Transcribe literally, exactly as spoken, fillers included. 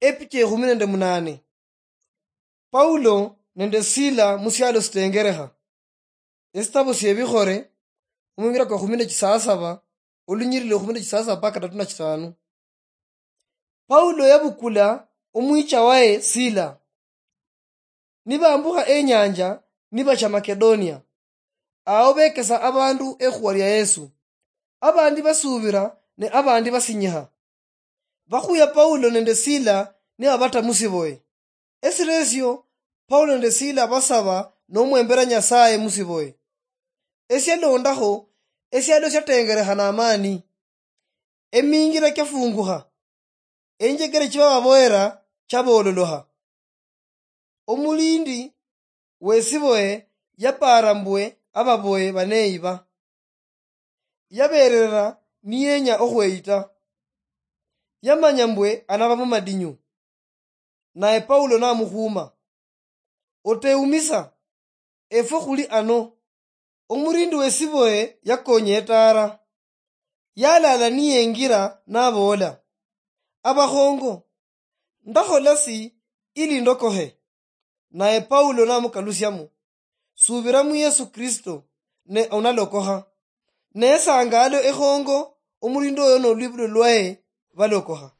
Epicha ekhumi nende munane. Paulo nende Sila musialo sitengerekha. Esitabu siebikhore, omwingira kwa khumi nende chisasaba, olunyiriri lwa khumi nende chisasaba mpaka katatu na chitano. Paulo yabukula omwicha waye Sila. Nibambukha enyanja, nibacha Makedonia. Ao bekesa abandu ekhuwa lia Yesu. Abandi basubira, ne abandi basinyikha. Bakhuya Paulo nende Sila nibabata musiboye. Esiresio, Paulo nende Sila basaba nomwembera Nyasaye musiboye. Esialondakho, esialo siatengerekha namani. Emingira kiafungukha. Enjekere chibababoyera chabololokha. Omulindi wesiboye yapaara mbwe ababoye baneyiba. Yaberera niyenya okhweyita. Yamanya mbwe anaba mumadinyu. Naye Paulo namukhuma, "Otewumisa, efwe khuli ano." Omurindi wesiboye yakonya etara. Yalala niyengira naboola, "Abakhongo, ndakhola si ili ndokokhe?" Naye Paulo namukalusiamo, "Subira mu Yesu Kristo, ne onalokokha." Ne sangaalo ekhongo, omurindi oyo nolwibulo lwaye balokokha.